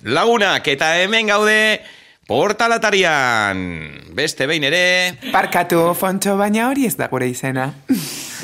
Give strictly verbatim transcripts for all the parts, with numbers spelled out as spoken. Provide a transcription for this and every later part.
Lagunak eta hemen gaude portalatarian. Beste behin ere... Barkatu, Fontxo, baina hori ez da gure izena.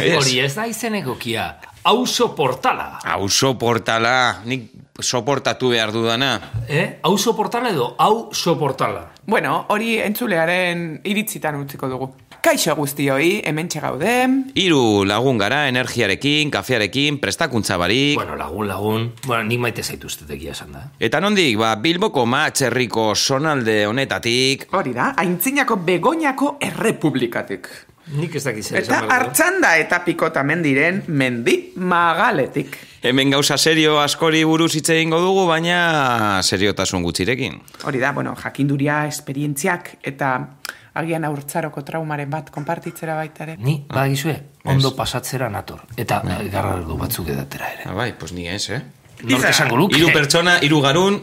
Hori ez da izen egokia. Auzo portala. Auzo portala. Nik soportatu behar dudana. Eh? Auzo portala edo hau soportala. Bueno, hori entzulearen iritzitan utziko dugu. Kaixo guztioi, hementxe gaude. Hiru lagun gara, energiarekin, kafearekin, prestakuntza barik. Bueno, lagun, lagun. Bueno, nik maite zaituztet egia esan da. Eta nondik, ba, Bilboko matxerriko sonalde honetatik. Hori da, aintzinako Begoñako errepublikatik. Nik ez dakiz zer Eta Artxanda eta Pikota mendiren mendi magaletik. Hemen gauza serio askori buruz hitz egingo dugu, baina seriotasun gutxirekin. Hori da, bueno, jakinduria, esperientziak eta agian haurtzaroko traumaren bat konpartitzera baita ere. Ni, badagizue, ondo pasatzera nator. Eta garrardu batzuk edatera ere. Ah, bai, pues ni ez, eh? Nork esango luke. Hiru pertsona, hiru garun,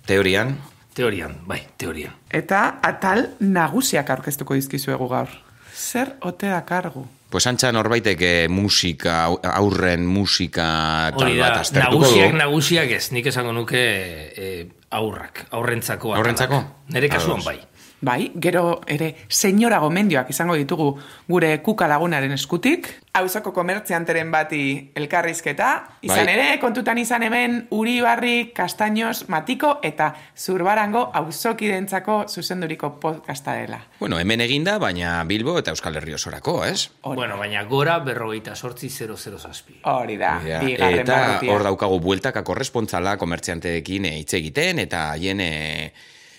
teorian. Teorian, bai, teorian. Eta atal nagusiak aurkeztuko dizkizuegu gaur. Zer ote dakargu? Pues antxa norbaitek musika, aurren musika tal Hori da, bat aztertuko nagusiak, du. nagusiak ez, nik esango nuke eh, aurrak, aurrentzako. Aurrentzako? Nere kasuan bai. Bai, gero ere senyora gomendioak izango ditugu gure kuka lagunaren eskutik. Auzoko komertzianteren bati elkarrizketa. Izan Bai. ere, kontutan izan hemen Uribarri, Castaños, Matiko eta Zurbarango auzokidentzako zuzenduriko podcasta dela. Bueno, hemen eginda, baina Bilbo eta Euskal Herri osorako, ez? Hori. Bueno, baina gora berrogeita sortzi zero zero zazpi. Hori da, Ja, bigarren eta barrutia. hor daukagu bueltaka korrespontzala komertzianteekin hitz egiten eta haien eh,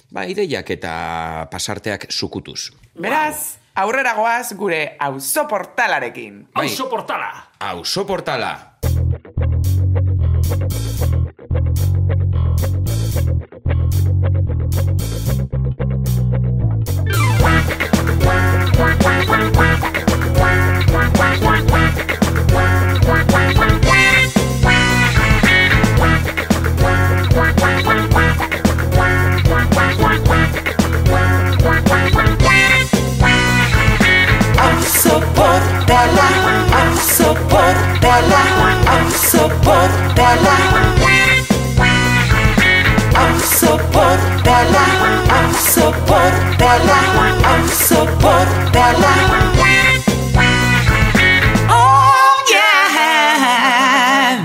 ba, ideiak eta pasarteak sukutuz. Beraz, aurrera goaz gure auzoportalarekin. Bai. Auzo portala! Auzo portala! Auzoportala, auzoportala, auzoportala. Auzoportala, auzoportala, auzoportala. Oh yeah!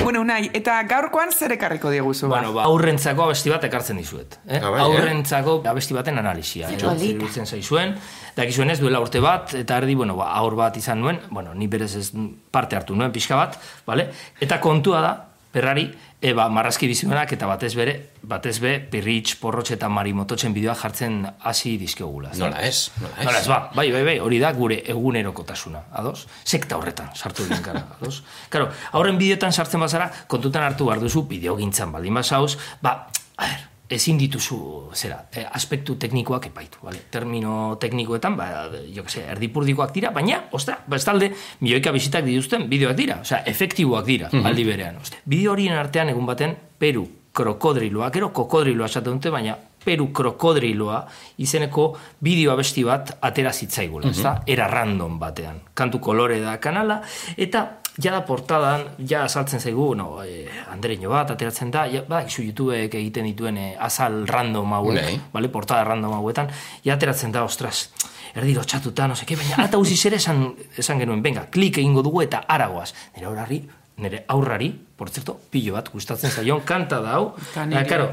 Bueno, Unai, eta gaurkoan zer ekarriko diguzu? Bueno, ba, aurrentzako abesti bat ekartzen dizuet. Eh? Ah, bai, eh? Aurrentzako abesti baten analisia. Eh? Zerbitzen zaizuen. Dakizuen ez, duela urte bat, eta erdi, bueno, ba, aur bat izan nuen, bueno, ni berez ez parte hartu nuen, pixka bat, vale? Eta kontua da, perrari, e, ba, marrazki bizimenak eta batez bere, batez be, pirritx, porrotx eta marimototxen bideoa jartzen hasi dizkegula. Nola ez, nola ez. Nola ez, ba, bai, bai, bai, hori da gure egunerokotasuna, ados? Sekta horretan sartu egin gara, ados? Karo, aurren bideotan sartzen bazara, kontutan hartu behar duzu, bideogintzan baldin bazauz, ba, a ber, ezin dituzu, zera, eh, aspektu teknikoak epaitu, vale? Termino teknikoetan, ba, jo que se, erdipurdikoak dira, baina, ostra, bestalde, milioika bizitak dituzten bideoak dira, osea, efektiboak dira, mm-hmm. aldi berean, ostra. Bideo horien artean egun baten, Peru krokodriloa, gero kokodriloa esaten dute, baina Peru krokodriloa izeneko bideo abesti bat atera zitzaigula, mm-hmm. ezta? Era random batean, kantu kolore da kanala, eta jada portadan, ja azaltzen zaigu, no, eh, Andreño bat ateratzen da, ja, ba, izu YouTubeek egiten dituen eh, azal random hauek, Nei. vale, portada random hauetan, ja ateratzen da, ostras, erdi lotxatuta, no seke, baina ata uziz ere esan, esan genuen, venga, klik egingo dugu eta aragoaz. Nire aurrari, nire aurrari, por cierto, pillo bat gustatzen zaion, kanta da hau, da, karo,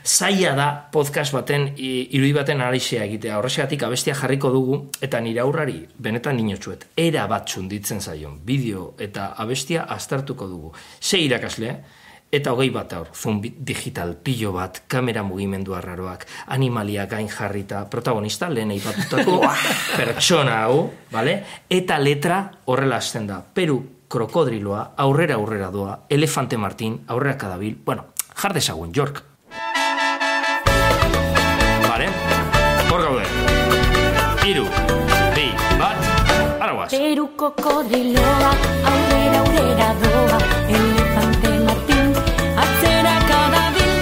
zaila da podcast baten, irudi baten analisia egitea, horrexegatik abestia jarriko dugu, eta nire aurrari, benetan ninotxuet, era bat txunditzen zaion, bideo eta abestia aztertuko dugu. Ze irakasle, eta hogei bat aur, zoom digital, pilo bat, kamera mugimendu arraroak, animalia gain jarrita, protagonista, lehen eipatutako pertsona hau, vale? Eta letra horrela hasten da, Peru krokodriloa, aurrera aurrera doa, Elefante Martin, aurrera kadabil, bueno, jar dezagun, York. Vale? Hor gaude. Iru, bi, bat, araguaz. Peru krokodriloa, aurrera aurrera doa, Elefante Martin, atzera kadabil,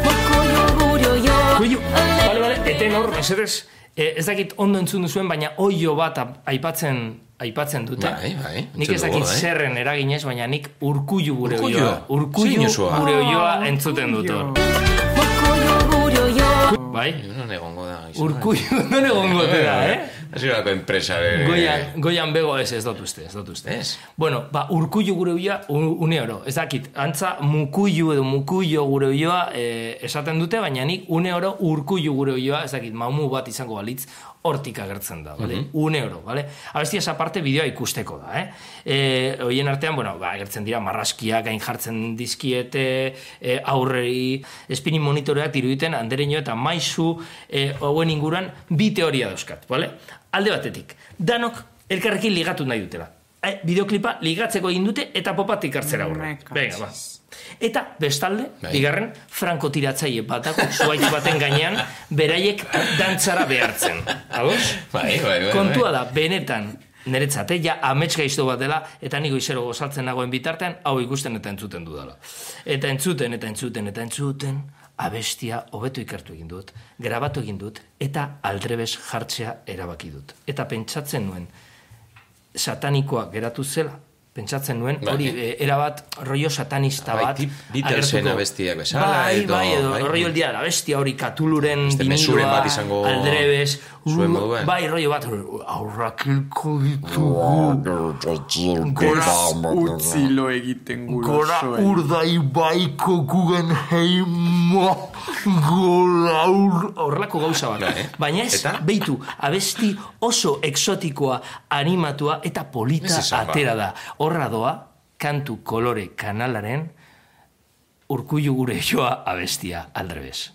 mokoio gure oioa. Kuio, bale, bale, eten hor, mesedez, eh, ez dakit ondo entzun duzuen, baina oio bat aipatzen aipatzen dute. Bai, bai. Nik ez dakit zerren eraginez, baina nik urkullu gure Urkullu? oioa. Urkullu Zein osoa? gure oioa entzuten dut hor. Urkullu, bai? Non egongo da. Urkullu, non egongo da, eh? Hasierako enpresa. Goian, goian bego ez, ez dut uste, ez dut uste. Ez? Bueno, ba, urkullu gure uia, une oro. Ez dakit, antza mukullu edo mukullo gure uioa eh, esaten dute, baina nik une oro urkullu gure uioa, ez dakit, maumu bat izango balitz, hortik agertzen da, bale? Uh-huh. Une oro, bale? Abestia esa parte bideoa ikusteko da, eh? E, oien artean, bueno, ba, agertzen dira marraskiak gain jartzen dizkiete, e, aurrei, spinning monitoreak diruditen, andereño eta maizu, e, hauen inguruan, bi teoria dauzkat, bale? Alde batetik, danok elkarrekin ligatu nahi dutela. E, bideoklipa ligatzeko egin dute eta popatik hartzera aurre. Venga, ba. Eta bestalde, bai. Bigarren, frankotiratzaile batako zuaitz baten gainean beraiek dantzara behartzen. Ados? Bai, bai, bai. Kontua da, benetan, niretzate, ja amets gaizto bat dela, eta niko izero gozaltzen nagoen bitartean, hau ikusten eta entzuten dudala. Eta entzuten, eta entzuten, eta entzuten, abestia hobeto ikertu egin dut, grabatu egin dut, eta aldrebes jartzea erabaki dut. Eta pentsatzen nuen, satanikoa geratu zela, pentsatzen nuen, hori e, erabat rollo satanista bat. Bai, Beatlesen abestiak bezala. Bai, bai, edo rollo el dia de la bestia, hori katuluren vinilua, aldrebes. Zuen moduen. Bai, rollo bat, aurrakilko ditugu. Gora utzilo egiten Gora gurosoen. urdai baiko Guggenheimo. Gora ur... Horrelako gauza bat. Eh? Baina ez, eta? beitu, abesti oso exotikoa, animatua eta polita atera da. Horra doa, kantu kolore kanalaren urkullu gure joa abestia aldrebes.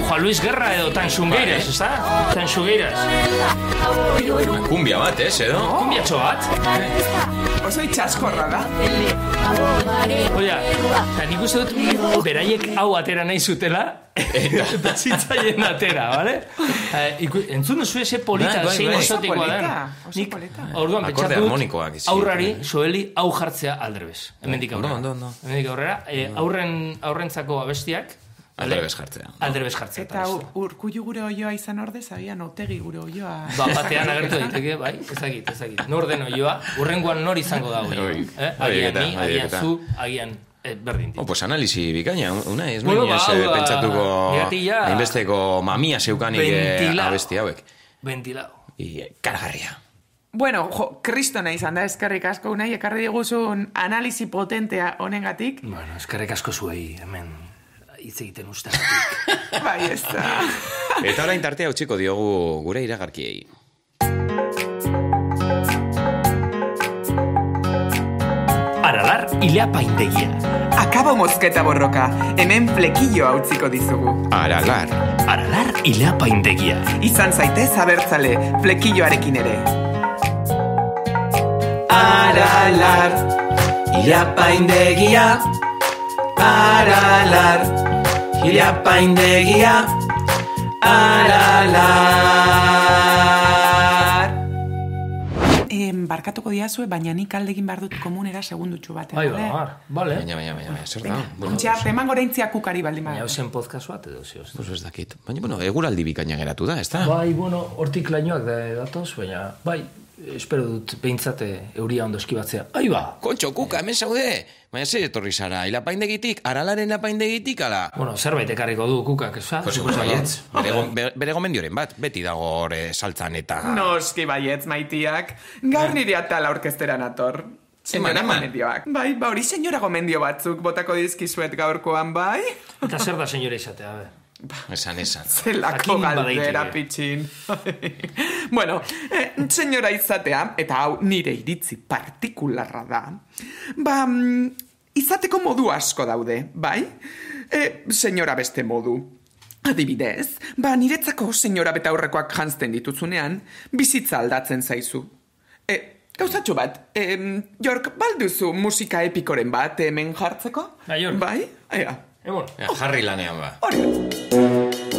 Juan Luis Guerra edo Tanxungueiras, ez da? Tanxungueiras. Kumbia bat, ez, edo? Kumbiatxo bat. Oso itxaskorra da. Oia, eta nik uste dut beraiek hau atera nahi zutela, eta zitzaien atera, bale? Entzun duzu ese polita, zein esotikoa den. Nik, orduan, pentsatu dut, aurrari, soeli, hau jartzea aldrebes. Hemendik aurrera. Hemendik aurrera, aurrentzako abestiak, aldrebes jartzea. Aldrebes jartzea. Eta urkullu gure oioa izan ordez, agian otegi gure oioa. Ba, batean agertu daiteke, bai, ezagit, ezagit. Nor den oioa, urrengoan nor izango da oioa. Eh? Agian ni, agian zu, agian eh, berdin dit. Oh, pues analisi bikaina, una ez Bueno, bueno, ba, ba, pentsatuko miratilla, hainbesteko mamia zeukanik ventilao. abesti hauek. Ventilao. I kargarria. Bueno, jo, kristona izan da, eskerrik asko unai, ekarri diguzun analisi potentea honengatik. Bueno, eskerrik asko zuei, hemen hitz egiten ustagatik. Bai, ez da. Eta orain tartea utziko diogu gure iragarkiei. Aralar ileapaindegia. Akabo mozketa borroka, hemen flekilloa utziko dizugu. Aralar. Aralar ileapaindegia. Izan zaitez abertzale, flekilloarekin ere. Aralar, ileapaindegia. Aralar, ileapaindegia. Aralar. Em, barkatuko diazue, baina nik aldegin behar dut komunera segundutxu batean. Bai, ba, vale. Baina, baina, baina, baina, zer da? Bueno, Ontsa, teman goraintzia kukari baldin Baina bada. hausen podcast bat edo zioz. pues ez dakit. Baina, bueno, eguraldi bikaina geratu da, ez da? Bai, bueno, hortik lainoak da datoz, baina, bai, espero dut behintzate euria ondo eskibatzea. Ai ba! Kontxo, kuka, hemen zaude! Baina zer etorri zara, ilapaindegitik, aralaren apaindegitik, ala? Bueno, zerbait ekarriko du kukak, ez da? Pues, baietz, bere, go- bere gomendioren bat, beti dago hor eh, saltzan eta... Noski baietz, maitiak. Gaur nire atala orkestera nator. Senyora eman. gomendioak. Bai, ba hori senyora gomendio batzuk botako dizkizuet gaurkoan, bai? Eta zer da senyora izatea, be? Esan, esan. Zelako Jakin galdera badaiteke. pitxin. Bueno, eh, senyora izatea, eta hau nire iritzi partikularra da, ba, mm, izateko modu asko daude, bai? E, senyora beste modu. Adibidez, ba, niretzako senyora betaurrekoak jantzten dituzunean, bizitza aldatzen zaizu. E, gauzatxo bat, e, Jork, balduzu musika epikoren bat hemen jartzeko? Ba, Jork. Bai? Ea, Egon. Ja, jarri lanean ba. hori.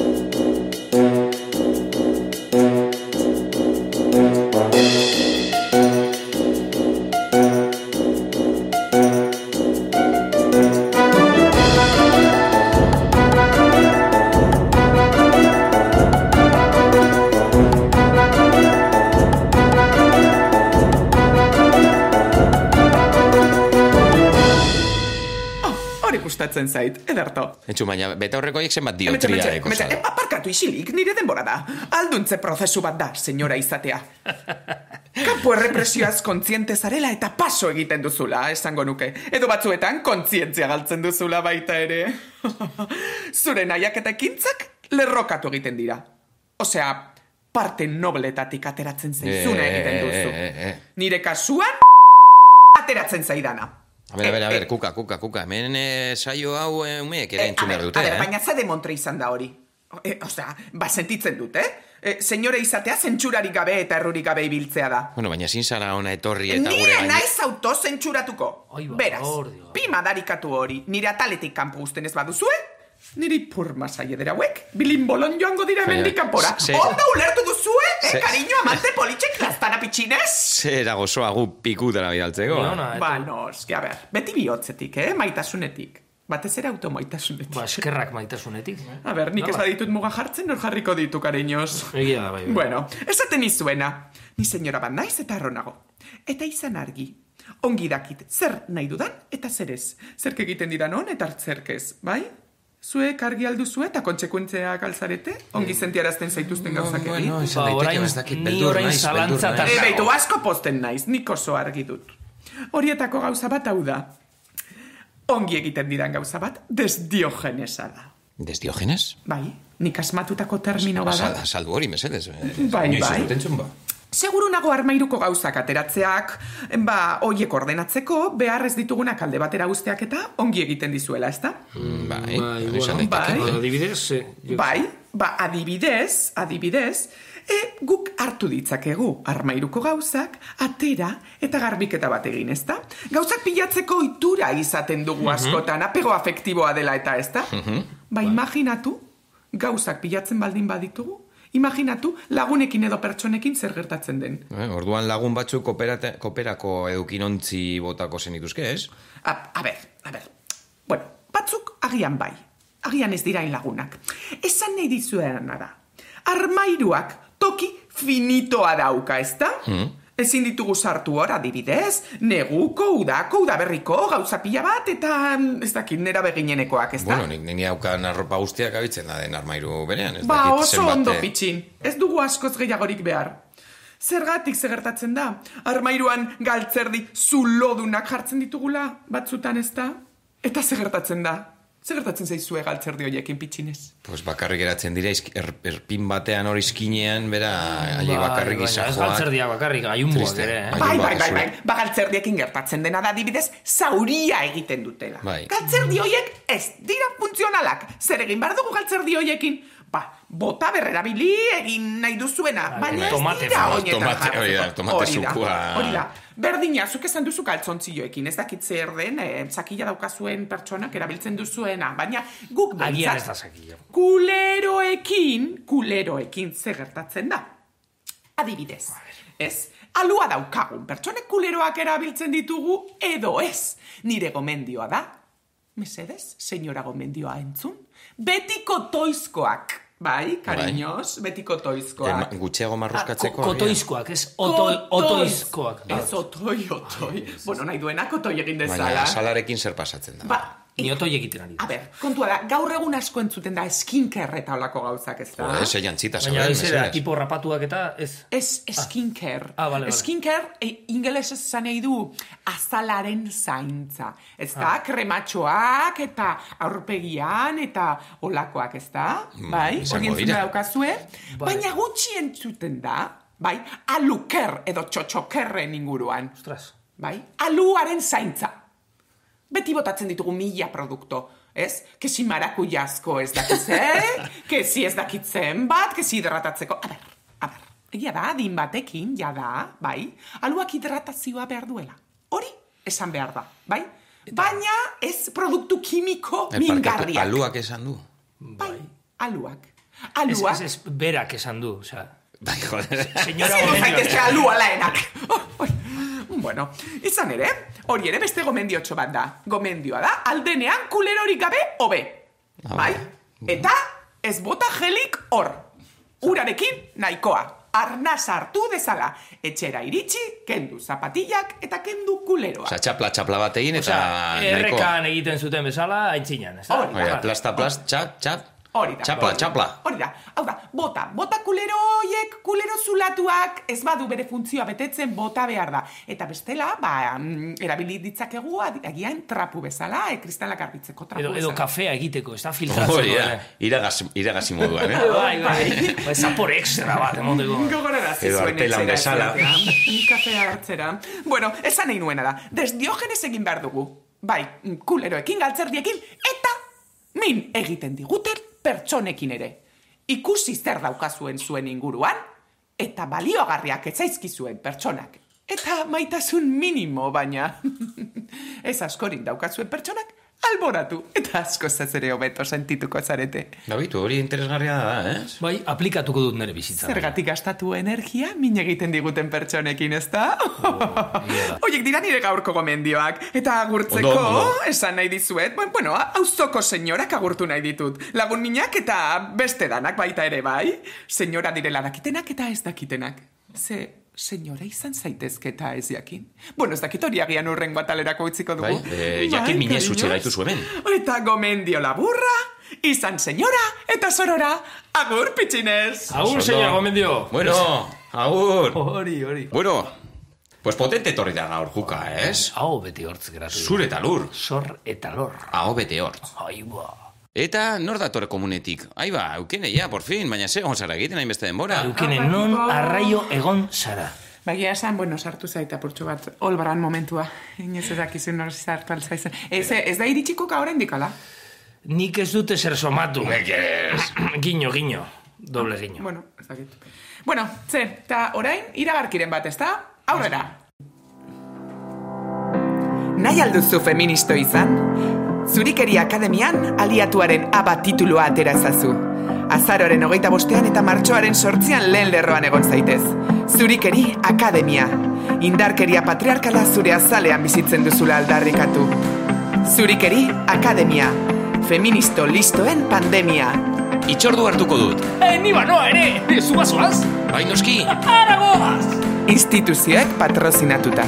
gustatzen zait, ederto. Etxu, baina beta horrekoiek zenbat Emetxe, diotria emetxe, eko emetxe, zara. aparkatu isilik, nire denbora da. Alduntze prozesu bat da, senyora izatea. Kampo errepresioaz kontziente zarela eta paso egiten duzula, esango nuke. Edo batzuetan kontzientzia galtzen duzula baita ere. Zure nahiak eta ekintzak lerrokatu egiten dira. Osea, parte nobletatik ateratzen zaizuna egiten duzu. Eh, eh, eh. Nire kasuan ateratzen zaidana. A ber, a ber, a Eh, ber, kuka, kuka, kuka. Hemen eh, saio hau eh, umeek ere Eh, entzun a behar ber, dute, a ber, eh? baina ze demontre izan da hori? E, osea, ba sentitzen dut, eh? E, senyore izatea zentsurarik gabe eta errurik gabe ibiltzea da. Bueno, baina ezin zara ona etorri eta gure Nire gain... naiz autozentzuratuko. Ai, ba, Beraz, ordio. pima darikatu hori, nire ataletik kanpo uzten ez baduzue, niri purma saiedera hauek, bilimbolon joango dira Baina, hemendik kanpora. ze- Ondo ulertu duzue, eh, ze- cariño, amante politxek, lastana pitxinez? Zera gozoa gu pikutara bidaltzeko. Ni ona, Ba, noski, a ber, beti bihotzetik, eh, maitasunetik. Batez ere automaitasunetik. Ba, eskerrak maitasunetik. A ber, nik ez Hala. baditut muga jartzen, nor jarriko ditu, cariños. Egia da, bai, bai. Bueno, esaten izuena, ni senyora bat naiz eta arronago. Eta izan argi, ongi dakit zer nahi dudan eta zer ez. Zerk egiten didan on eta zerkez, bai? Zuek argi alduzu eta kontsekuentzeak alzarete? Ongi sentiarazten zaituzten gauzak egin? Bueno, izan Ba, daiteke, orain- ez dakit, ni beldur orain naiz, zalantza beldur eta- naiz. E, beitu, asko posten naiz, nik oso argi dut. Horietako gauza bat hau da. Ongi egiten didan gauza bat, desdiogenesa da. Desdiogenes? Bai, nik asmatutako termino bada. Sal- Saldu hori, mesedez. eh, Bai, inoiz bai. ez dut entzun, ba. Seguru nago armairuko gauzak ateratzeak, ba, hoiek ordenatzeko, behar ez ditugunak alde batera usteak eta ongi egiten dizuela, ezta? Mm, Bai, Bai, hori izan bueno, daiteke, bai. bai. Adibidez, eh, jo- Bai, ba, adibidez, adibidez, e, guk hartu ditzakegu armairuko gauzak, atera eta garbiketa bat egin, ezta? Gauzak pilatzeko ohitura izaten dugu askotan, apego afektiboa dela eta, ezta? Ba, imaginatu, gauzak pilatzen baldin baditugu, imaginatu lagunekin edo pertsonekin zer gertatzen den. Eh, orduan lagun batzuk kooperate- kooperako edukinontzi botako zenituzke, ez? A, a ber, a ber. Bueno, batzuk agian bai. Agian ez dirain lagunak. Esan nahi dizuena da. Armairuak toki finitoa dauka, ezta? Hmm. Ezin ditugu sartu hor, adibidez, neguko, udako, udaberriko, gauza pila bat, eta mm, ez dakit nera beginenekoak, ezta? Bueno, nik nini haukan arropa guztiak abitzen da den armairu berean, ez Ba, dakit oso zenbat, ondo eh, pitxin. Ez dugu askoz gehiagorik behar. Zergatik zegertatzen da? Armairuan galtzerdi zulodunak jartzen ditugula batzutan, ez da? Eta zegertatzen da? Zegertatzen zaizue galtzerdi horiekin pitxinez? Pues bakarrik geratzen dira, izk- er, erpin batean hori iskinean, bera, aiei Bai, bakarrik baina izan ez joak. galtzerdia bakarrik, gaiunboak Triste. ere, eh? Bai. Bai, Haien bai, bai, bakazue. bai. Ba, galtzerdiekin gertatzen dena da adibidez, zauria egiten dutela. Bai. Galtzerdi horiek ez dira funtzionalak. Zer egin behar dugu galtzerdi horiekin? Ba, bota berrerabili egin nahi duzuena. Bai, Baina ez tomate dira fa- hoietan tomate- jartzeko. hori da, tomate Hori da, zukua. Hori da. Berdina, zuk esan duzu kaltzontzioekin, ez dakit zer den, eh, zakila daukazuen pertsonak erabiltzen duzuena, baina guk Agian ez behintzat da zakila. kuleroekin, kuleroekin zer gertatzen da. Adibidez, ez? Alua daukagun, pertsonek kuleroak erabiltzen ditugu edo ez. Nire gomendioa da, mesedez, senyora gomendioa entzun, betiko toizkoak. Bai, cariños, betiko Eh, toizkoak. ma- gutxiago marruskatzeko. Ko- Kotoizkoak, ez otoi, otoizkoak. Ez otoi, otoi. Bueno, nahi duenak otoi egin dezala. Baina salarekin zer pasatzen da. Ba, Ni otoi egiten ari. a ber, kontua da, gaur egun asko entzuten da skincare eta olako gauzak, ez da? Jo, ez eian txita Baina zauden, ez era, mesedez. tipo rapatuak eta ez. Ez skincare. Ah, vale, vale. Skincare e, ingelesez esan nahi du azalaren zaintza. Ez da, krematxoak eta aurpegian eta olakoak, ez da? bai, izango hori entzuna dira. daukazue. Bai. Baina gutxi entzuten da, bai, aluker edo txotxokerren inguruan. Ostras. Bai, aluaren zaintza. Beti botatzen ditugu mila produkto, ez? Kesi marakujazko ez dakitze, kesi ez dakitzen bat, kesi hidratatzeko. A ber, a ber, egia da, adin batekin, ja da, bai, aluak hidratazioa behar duela. Hori, esan behar da, bai? Baina ez produktu kimiko Eh, parkatu, mingarriak. aluak esan du. Bai, aluak. Ez, Aluak. ez, ez, berak esan du, osea. Bai, joder. Señora Zer Gomendio. zaitezke alua laenak. Oh, oh. Bueno, izan ere, hori ere beste gomendiotxo bat da. Gomendioa da, aldenean kulerorik gabe hobe. Ah, Bai? bai. Eta ez bota gelik hor. Urarekin nahikoa. arnaz hartu dezala. Etxera iritsi, kendu zapatillak eta kendu kuleroa. Osa, txapla, txapla bat egin eta... Osea, errekan egiten zuten bezala, aintzinan, ez da? Hori da. Oia, plasta, plast, txap, txap. Hori da. Txapla, txapla. Hori da. Hau da, bota. Bota kulero hoiek, kulero zulatuak, ez badu bere funtzioa betetzen, bota behar da. Eta bestela, ba, erabili ditzakegu agian trapu bezala, e, kristalak garbitzeko trapu edo, bezala. Edo kafea egiteko, ez da filtratzeko. Hori da, iragazi, iragazi moduan, eh? Bai, bai, bai, zapor extra bat, emoteko. Gogorarazi Edo zuen artelan etxera bezala. ezatea. Kafea hartzera. Bueno, esan nahi nuena da. Desdiogenes egin behar dugu. Bai, kuleroekin, galtzerdiekin, eta min egiten diguten pertsonekin ere. Ikusi zer daukazuen zuen inguruan, eta baliogarriak etzaizkizuen pertsonak. Eta maitasun minimo, baina ez askorin daukazuen pertsonak, alboratu, eta asko zazere hobeto sentituko zarete. Gabitu, hori interesgarria da, eh? Bai, aplikatuko dut nire bizitza. Zergatik gastatu energia, min egiten diguten pertsonekin, ez da? Oiek dira nire gaurko gomendioak, eta agurtzeko, Ondo, ondo. esan nahi dizuet, bueno, auzoko senyorak agurtu nahi ditut. Lagun minak eta beste danak baita ere, bai? Senyora direla dakitenak eta ez dakitenak. Ze... senyora izan zaitezke eta ez jakin. Bueno, ez dakit hori agian urrengo atalerako utziko dugu. Bai, eh, jakin minez utxe gaitu zuen. Eta gomendio laburra, izan senyora eta sorora, agur pitxinez. Agur, Oso señor ondo. Gomendio. Bueno, agur. Hori, hori. Bueno, pues potente torri da gaur juka, ez? Hau beti hortz geratu. Zure eta lur. Zor eta lor. Hau bete hortz. Ai, ba. Eta nor datore komunetik? Aiba, eukene ja, por fin, baina ze egon zara egiten hainbeste denbora. Eukene, non arraio egon zara. Bagia esan, bueno, sartu zaita purtsu bat, olbaran momentua. Inez ez dakizun nor sartu altzaizen. Ez, ez da iritsiko ka oraindik ala? Nik ez dute zer somatu. Giño, giño. Doble giño. Bueno, ez dakit. Bueno, ze, eta orain, iragarkiren bat, ez da? Aurrera! Nahi alduzu feministo izan? Zurikeri Akademian aliatuaren aba titulua atera ezazu. Azaroaren hogeita bostean eta martxoaren sortzian lehen lerroan egon zaitez. Zurikeri Akademia. Indarkeria patriarkala zure azalean bizitzen duzula aldarrikatu. Zurikeri Akademia. Feministo listoen pandemia. Itxordu hartuko dut. Eh, ni banoa ere! Zubazoaz? Bai, noski. Aragoaz! Instituzioek patrozinatuta.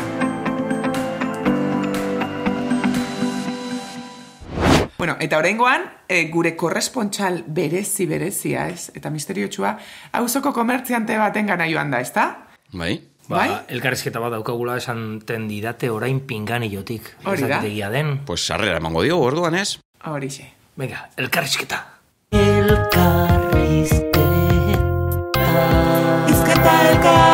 Bueno, eta oraingoan, e, gure korrespontxal berezi berezia, ez? Eta misteriotsua, auzoko komertziante baten gana joan da, ezta? Bai. Ba, Bai? elkarrizketa bat daukagula esan didate orain pinganillotik. Hori da. Ezakidegia den. Pues sarrera emango dio, orduan ez? Horixe. Venga, elkarrizketa. Elkarrizketa. Izketa elkar!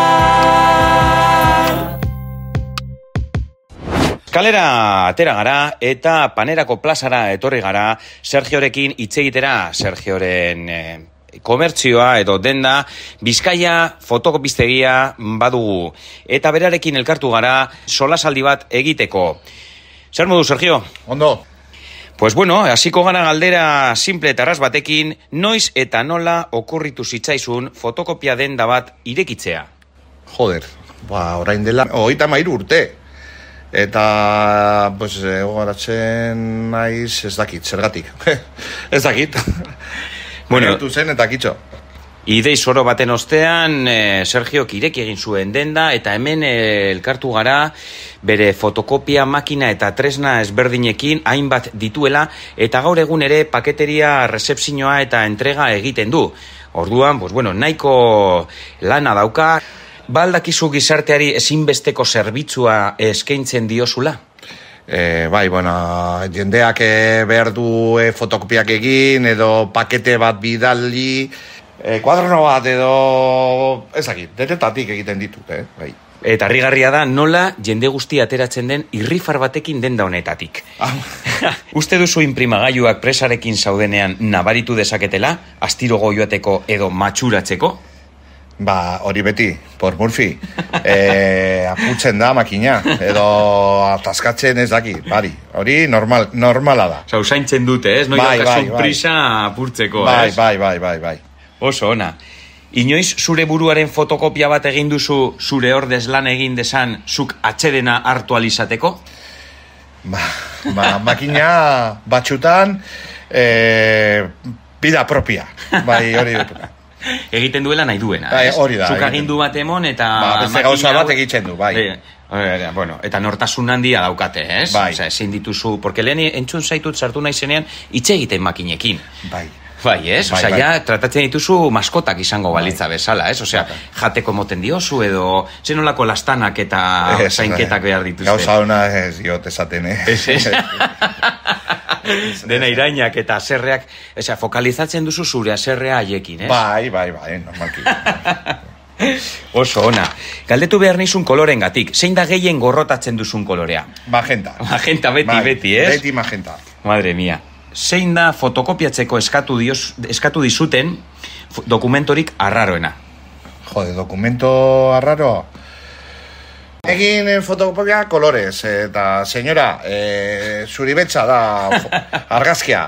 Kalera atera gara eta Panerako plazara etorri gara Sergiorekin hitz egitera, Sergioren eh, komertzioa edo denda Bizkaia fotokopistegia badugu. Eta berarekin elkartu gara solasaldi bat egiteko. Zer modu, Sergio? Ondo. Pues bueno, hasiko gara galdera simple eta erraz batekin, noiz eta nola okurritu zitzaizun fotokopia denda bat irekitzea? Joder, ba, orain dela hogeita hamairu urte. Eta, pues, gogoratzen naiz ez dakit, zergatik. Ez dakit. Bueno, Gertu zen eta kitxo. idei zoro baten ostean, eh, Sergio ireki egin zuen denda, eta hemen eh, elkartu gara bere fotokopia makina eta tresna ezberdinekin hainbat dituela, eta gaur egun ere paketeria rezepzioa eta entrega egiten du. Orduan, pues bueno, nahiko lana dauka, baldakizu gizarteari ezinbesteko zerbitzua eskaintzen diozula? E, bai, bueno, jendeak e, behar du e, fotokopiak egin, edo pakete bat bidali, e, kuaderno bat edo, ezakit, denetatik egiten ditut, eh? Bai. Eta harrigarria da nola jende guzti ateratzen den irrifar batekin denda honetatik. Ah. Uste duzu inprimagailuak presarekin zaudenean nabaritu dezaketela, astirogo joateko edo matxuratzeko? Ba, hori beti, por Murphy, e, aputzen da makina, edo ataskatzen ez daki, bari, hori normal, normala da. Osa, usaintzen dute, ez? Noi Bai, daukazu bai, bai. prisa apurtzeko, Bai, ez? bai, bai, bai, bai. Oso ona. Inoiz zure buruaren fotokopia bat egin duzu zure ordez lan egin desan zuk atxedena hartu alizateko? Ba, ba, makina batxutan, e, bida propia, bai, hori dut. egiten duela nahi duena. Bai, ez? hori da, Zuk egiten agindu bat emon eta... Ba, beste makina gauza bat hau- egiten du, bai. Eh, eh, bueno, eta nortasun handia daukate, ez? Bai. Osea, ezin dituzu, porque lehen entzun zaitut sartu naizenean hitz egiten makinekin. Bai. Bai, ez? Bai, Osea, bai. ja, tratatzen dituzu maskotak izango balitza bezala, ez? Osea, Bai. jateko moten diozu edo zenolako lastanak eta Ez, zainketak behar dituzte. Gauza ona ez diot esaten, eh? Ez, ez? Dena irainak eta aserreak, osea, fokalizatzen duzu zure aserrea haiekin, ez? Bai, bai, bai, normalki. Oso ona. Galdetu behar nizun kolorengatik. Zein da gehien gorrotatzen duzun kolorea? Magenta. Magenta beti, Bai, beti, ez? Beti magenta. Madre mia. Zein da fotokopiatzeko eskatu, dios, eskatu dizuten fo- dokumentorik arraroena? Jode, dokumento arraro. Egin eh, fotokopia kolorez, eta senyora, eh, zuri betxa da fo- argazkia.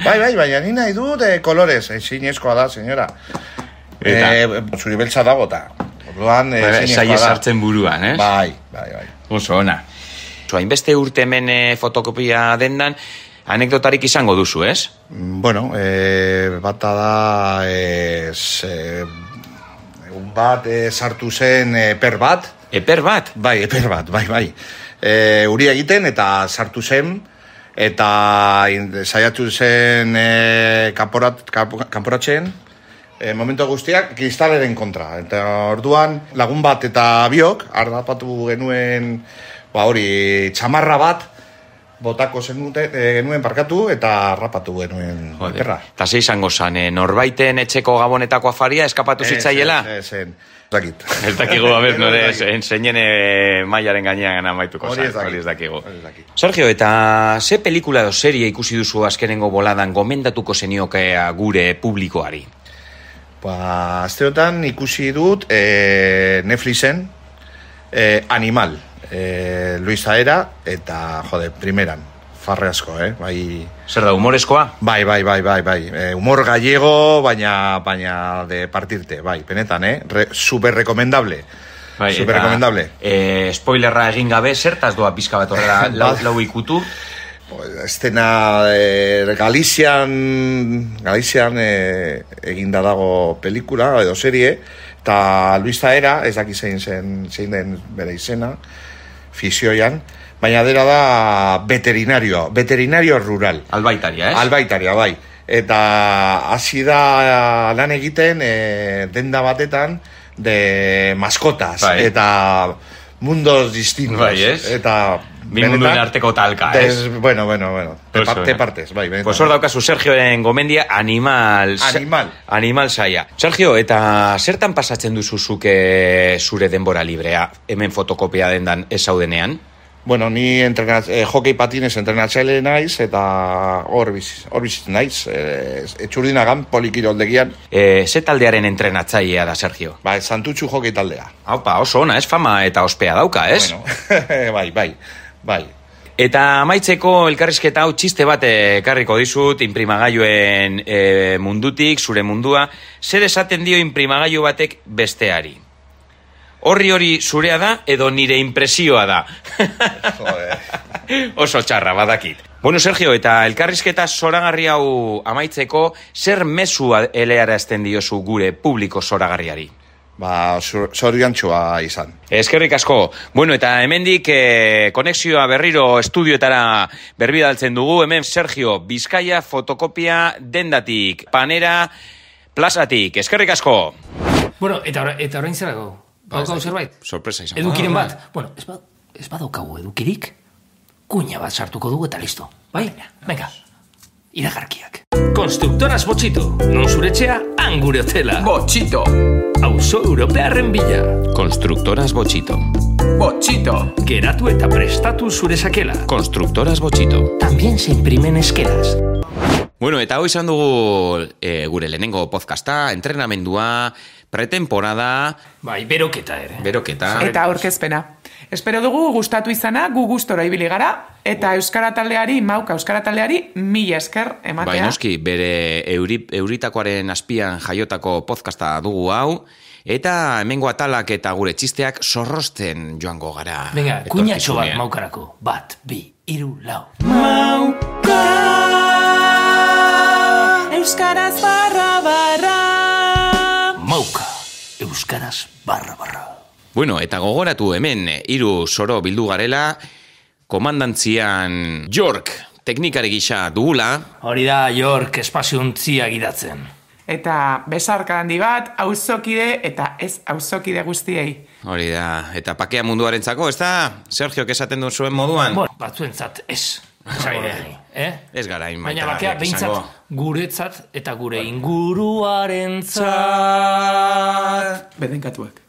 Bai, bai, baina ni nahi dut eh, kolorez, ezinezkoa da, senyora. Eta? Eh, zuri betxa dago eta. Orduan, eh, Bai, ezinezkoa saie da. sartzen buruan, ez? Bai, bai, bai. Oso ona. Oso, hainbeste urte hemen eh, fotokopia dendan, anekdotarik izango duzu, ez? Mm, Bueno, eh, bata da, eh, eh, egun bat eh, sartu zen eh, per bat, Eper bat? bai, eper bat, bai, bai. E, uri egiten eta sartu zen, eta in- saiatu zen e, kanporat, kanpo- kanporatzen, e, momentu guztiak kristaleren kontra. Eta orduan lagun bat eta biok, harrapatu genuen, ba hori, txamarra bat, botako zenute, e, genuen parkatu eta harrapatu genuen Jode. perra. Eta ze izango zan, eh, norbaiten etxeko gabonetako afaria eskapatu zitzaiela? Ez, ez, ez, dakit. Ez dakigu, a ber, Ez nore, dakit. enseinen eh, mailaren gainean amaituko Hori zan, ez dakit. hori ez dakigu. Hori ez dakit. Sergio, eta ze pelikula edo serie ikusi duzu azkenengo boladan gomendatuko zeniokea gure publikoari? Ba, asteotan ikusi dut e, Netflixen e, Animal, e, Luis Aera eta, jode, primeran, farre asko, eh? Bai, Zer da, humorezkoa? bai, bai, bai, bai, bai. E, humor gallego, baina, baina de partirte, bai, benetan, eh? Re, super recomendable. Bai, super eta, recomendable. eh, spoilerra egin gabe, zertaz doa pizka bat horrela lau, Ba- lau ikutu? Estena e, Galizian, Galizian e, eginda dago pelikula edo serie, eta Luis Zaera, ez daki zein zen, zein den bere izena, fisioian, baina dera da veterinario, veterinario rural. Albaitaria, ez? Albaitaria, bai. Eta hasi da lan egiten e, denda batetan de maskotas, Bai. eta mundos distintos. Bai, ez? Eta Bi munduen arteko talka, des, ez? Bueno, bueno, bueno. Te, Oso, par, te eh? partes, bai, benetan. Pues hor daukazu Sergioren gomendia Animal... sa- Animal. Animal saia. Sergio, eta zertan pasatzen duzu zuke zure denbora librea hemen fotokopia dendan ez zaudenean? Bueno, ni entrenat, eh, hokei patinez entrenatzaile naiz, eta hor biz, hor bizitzen naiz. Eh, etxurdinagan, polikiroldegian, E, ze taldearen entrenatzailea da, Sergio? ba, Santutxu hokei taldea. Haupa, oso ona, ez fama eta ospea dauka, ez? Bueno, bai, bai, bai. Eta amaitzeko elkarrizketa hau txiste bat ekarriko dizut inprimagailuen e, mundutik, zure mundua. Zer esaten dio inprimagailu batek besteari? Horri hori zurea da edo nire impresioa da? Joder. Oso txarra, badakit. Bueno, Sergio, eta elkarrizketa zoragarri hau amaitzeko, zer mezua elearazten diozu gure publiko zoragarriari? Ba, zoriontxua izan. Eskerrik asko. Bueno, eta hemendik eh, konexioa berriro estudioetara berbidaltzen dugu. Hemen Sergio Bizkaia fotokopia dendatik, panera plazatik. Eskerrik asko. Bueno, eta, ora, eta orain zerako? Badaukagu zerbait? Sorpresa izan. Edukiren bat? Bueno, ez, ba, ez badaukagu edukirik, kuña bat sartuko dugu eta listo. Bai? Venga, iragarkiak. Konstruktoras Botxito, non zuretxea, han gure hotela. Botxito, Auzo Europearren bila. Konstruktoras Botxito. Botxito. Geratu eta prestatu zure sakela. Konstruktoras Botxito. También se imprimen esquelas. Bueno, eta hau izan dugu e, gure lehenengo podcasta, entrenamendua, pretemporada, Bai, beroketa ere. beroketa. Eta aurkezpena. Espero dugu gustatu izana, gu gustora ibili gara, eta Euskara taldeari, mauka Euskara taldeari, mila esker ematea. Bai, noski, bere euri, euritakoaren azpian jaiotako podcasta dugu hau, eta hemengo atalak eta gure txisteak zorrosten joango gara. Venga, kuñatxo bat etorkizunean. maukarako. Bat, bi, iru, lau. Mauka Euskaraz barra barra Bueno, eta gogoratu hemen, hiru soro bildu garela, komandantzian York teknikari gisa dugula. Hori da York espaziontzia gidatzen. Eta besarka handi bat, auzokide eta ez auzokide guztiei. Hori da, eta pakea munduarentzako, ez da? Sergiok esaten du zuen moduan? Bueno, batzuentzat ez. Eh? Ez gara hain baina baita, bakea izango. behintzat guretzat eta gure inguruarentzat. Bedenkatuak.